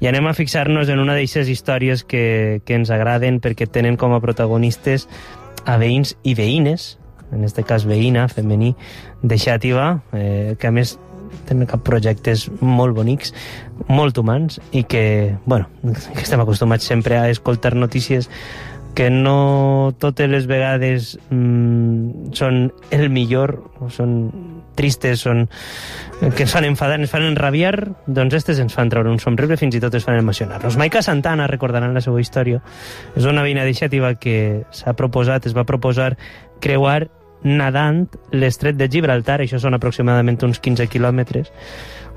I anem a fixar-nos en una d'aquestes històries que ens agraden perquè tenen com a protagonistes a veïns i veïnes, en aquest cas veïna, femení, de Xàtiva, que a més tenen projectes molt bonics, molt humans, i que, bueno, que estem acostumats sempre a escoltar notícies que no totes les vegades són el millor, són tristes, que ens fan enfadar, ens fan enrabiar, doncs aquestes ens fan treure un somriure, fins i tot ens fan emocionar-nos. Maica Santana, recordaran la seva història, és una veïna de Xàtiva que es va proposar creuar nadant l'estret de Gibraltar, això són aproximadament uns 15 quilòmetres,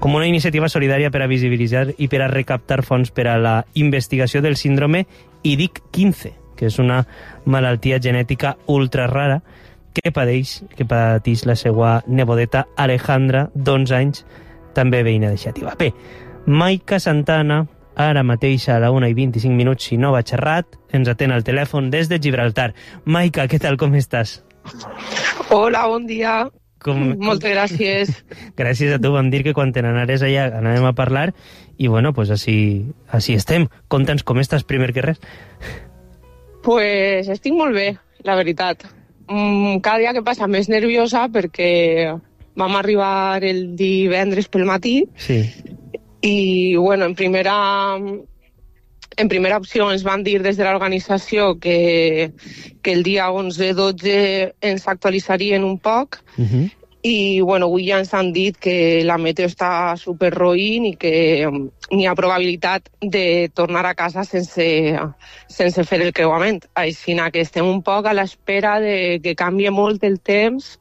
com una iniciativa solidària per a visibilitzar i per a recaptar fons per a la investigació del síndrome IDIC-15, que és una malaltia genètica ultra rara que pateix la seva nebodeta Alejandra, d'11 anys, també veïna de Xàtiva. Bé, Maica Santana, ara mateix a la 1:25, si no vaig errat, ens atén al telèfon des de Gibraltar. Maica, què tal, com estàs? Hola, bon dia. Moltes gràcies. Gràcies a tu, vam dir que quan te n'anares allà anàvem a parlar i bueno, pues així estem. Conta'ns com estàs primer que res. Pues estic molt bé, la veritat. Cada dia que passa més nerviosa perquè vam arribar el divendres pel matí. Sí. I bueno, en primera opció ens van dir des de l'organització que el dia 11-12 ens actualitzarien un poc. I bueno, avui ja ens han dit que la meteo està superroïn i que n'hi ha probabilitat de tornar a casa sense fer el creuament. Així que estem un poc a l'espera de que canvie molt el temps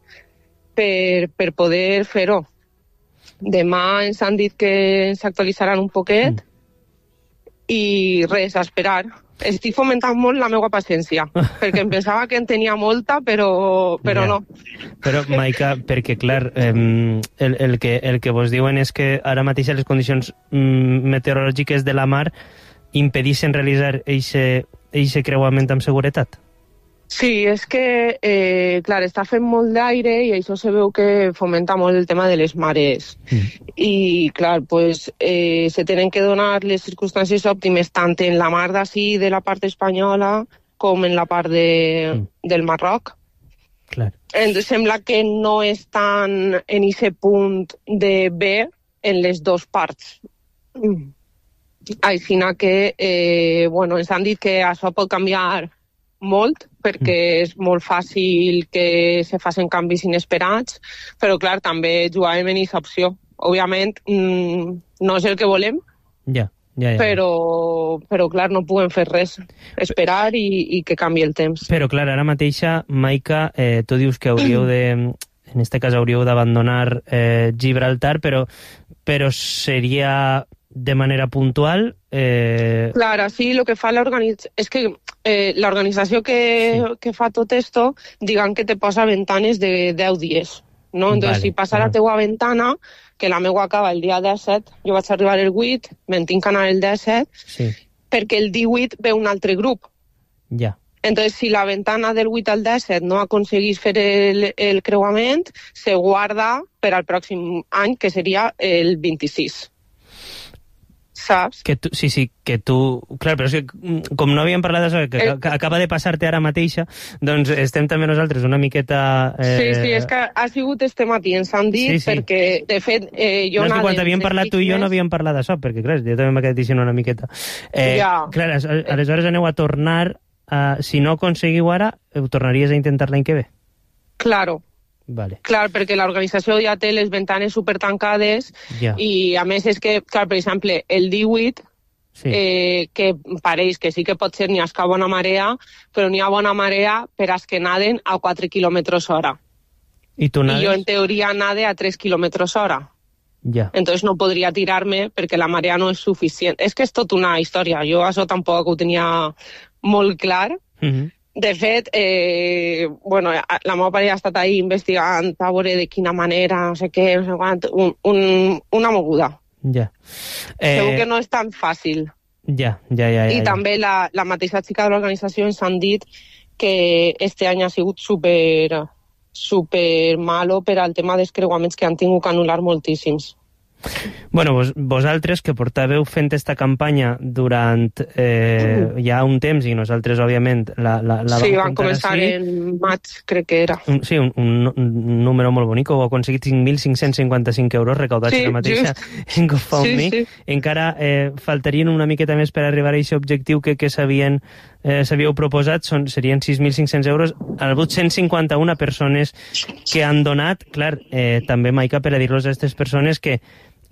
per poder fer-ho. Demà ens han dit que ens actualitzaran un poquet i res, a esperar. Estic fomentant molt la meva paciència, perquè em pensava que en tenia molta, però no. Però, Maica, perquè, clar, el que vos diuen és que ara mateix les condicions meteorològiques de la mar impedeixen realitzar eixe creuament amb seguretat. Sí, és que, clar, està fent molt d'aire i això se veu que fomenta molt el tema de les marees. I, clar, pues, se tenen que donar les circumstàncies òptimes tant en la mar d'ací, de la part espanyola, com en la part del Marroc. Clar. Sembla que no estan en aquest punt de bé en les dues parts. Així que, bueno, ens han dit que això pot canviar molt, perquè és molt fàcil que se facin canvis inesperats, però clar, també jugàvem en aquesta opció. Òbviament, no és el que volem, però clar, no podem fer res. Esperar i que canvi el temps. Però clar, ara mateixa, Maica, tu dius que en este cas hauríeu d'abandonar Gibraltar, però seria de manera puntual. Clar, sí, el que fa l'organització és que l'organització que fa tot esto, digan que te posa ventanes de 10 dies, no? Entonces, si passa la teua ventana, que la meua acaba el dia 17, jo vaig arribar el 8, me'n tinc que anar el 17, perquè el 18 ve un altre grup. Ja. Entonces, si la ventana del 8 al 17 no aconseguís fer el creuament, se guarda per al pròxim any, que seria el 26. Saps? Que tu... Clar, però és que com no havíem parlat d'això, que acaba de passar-te ara mateixa, doncs estem també nosaltres una miqueta... Sí, és que ha sigut este matí, ens han dit, perquè, de fet, jo... No, és que quan havíem parlat tu i jo no havíem parlat d'això, perquè, clar, jo també m'ha quedat dient una miqueta. Clar, aleshores aneu a tornar... Si no aconseguiu ara, ho tornaries a intentar l'any que ve? Claro. Vale. Clar, perquè l'organització ja té les ventanes supertancades i a més és que, clar, per exemple, el 18, que pareix que sí que pot ser n'hi ha bona marea, però n'hi ha bona marea per als que naden a 4 km/h. I tu nades? I jo en teoria nade a 3 km/h. Ja. Entonces no podria tirar-me perquè la marea no és suficient. És que és tot una història. Jo això tampoc ho tenia molt clar. De fet, bueno, la meva parella ha estat ahí investigant a veure de quina manera, no sé què, no sé quant, una moguda. Ja. Segur que no és tan fàcil. Ja. I també la mateixa xica de l'organització ens han dit que este any ha sigut super malo per al tema dels creuaments, que han tingut que anul·lar moltíssims. Bueno, vosaltres que portàveu fent esta campanya durant ja un temps, i nosaltres, òbviament, la sí, van començar en maig, crec que era. Sí, un número molt bonic, ho heu aconseguit 5.555 euros recaudats ara mateixa en GoFundMe. Sí. Encara faltarien una miqueta més per arribar a aquest objectiu que s'havíeu proposat, serien 6.500 euros. Ha hagut 151 persones que han donat, clar, també, Maica, per a dir-los a aquestes persones que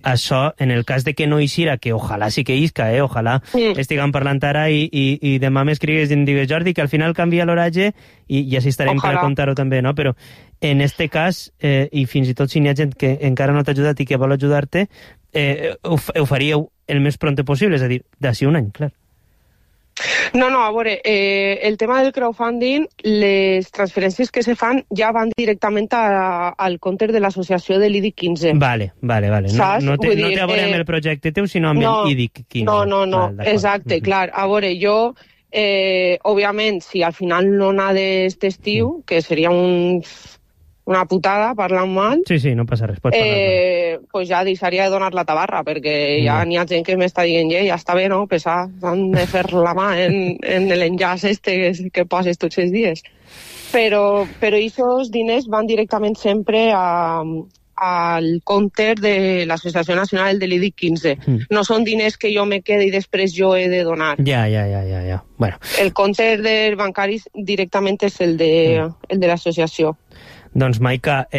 això, en el cas de que no eixira, que ojalà sí que isca, ojalà estiguem parlant ara i demà m'escrigues i em digues, Jordi, que al final canvia l'horatge i així estarem per a contar-ho també, no? Però en este cas, i fins i tot si n'hi ha gent que encara no t'ha ajudat i que vol ajudar-te, ho faríeu el més pront possible, és a dir, d'ací un any, clar. No, a veure, el tema del crowdfunding, les transferències que se fan ja van directament al compte de l'associació de l'IDIC 15. Vale. No té a veure amb el projecte teu, sinó amb l'IDIC 15. No, exacte, clar. A veure, jo, òbviament, si al final no n'ha d'este estiu, que seria una putada, parlant mal... Sí, no passa res, pots parlar. Pues ja deixaria de donar la tabarra, perquè ja n'hi ha gent que m'està dient ja està bé, no? Pesar, han de fer la mà en l'enllaç que poses tots els dies. Però aquests diners van directament sempre al compte de l'Associació Nacional de l'IDIC 15. No són diners que jo me quede i després jo he de donar. Ja. Bueno. El compte dels bancaris directament és el de l'associació. Doncs, Maica,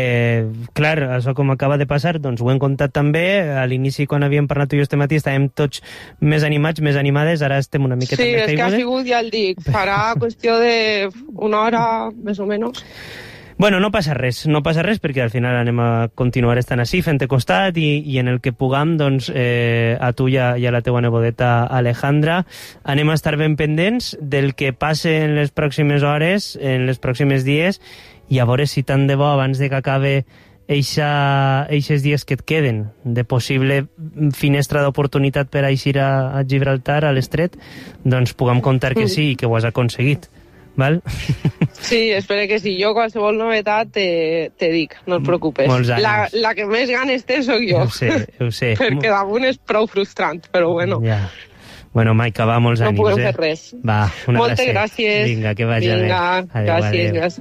clar, això com acaba de passar, doncs ho hem contat també. A l'inici, quan havíem parlat tu i jo este matí, estàvem tots més animats, més animades, ara estem una miqueta més caigudes. Sí, és que ha sigut, ja el dic, farà qüestió d'una hora, més o menys. Bueno, no passa res, perquè al final anem a continuar estant així, fent-te costat, i en el que puguem, doncs, a tu i a la teua nebodeta Alejandra, anem a estar ben pendents del que passe en les pròximes hores, en les pròximes dies, i a veure si tant de bo, abans de que acabe eixes dies que et queden, de possible finestra d'oportunitat per a eixir a Gibraltar, a l'estret, doncs puguem contar que sí i que ho has aconseguit. Val? Sí, espero que sí. Jo qualsevol novetat te dic, no et preocupes. Molts anys. La que més ganes té soc jo. Ho sé. Perquè damunt és prou frustrant, però bueno. Ja. Bueno, Maica, va, molts ànims. No podem fer res. Va, una Moltes gràcies. Vinga, que vagi bé. Vinga, gràcies.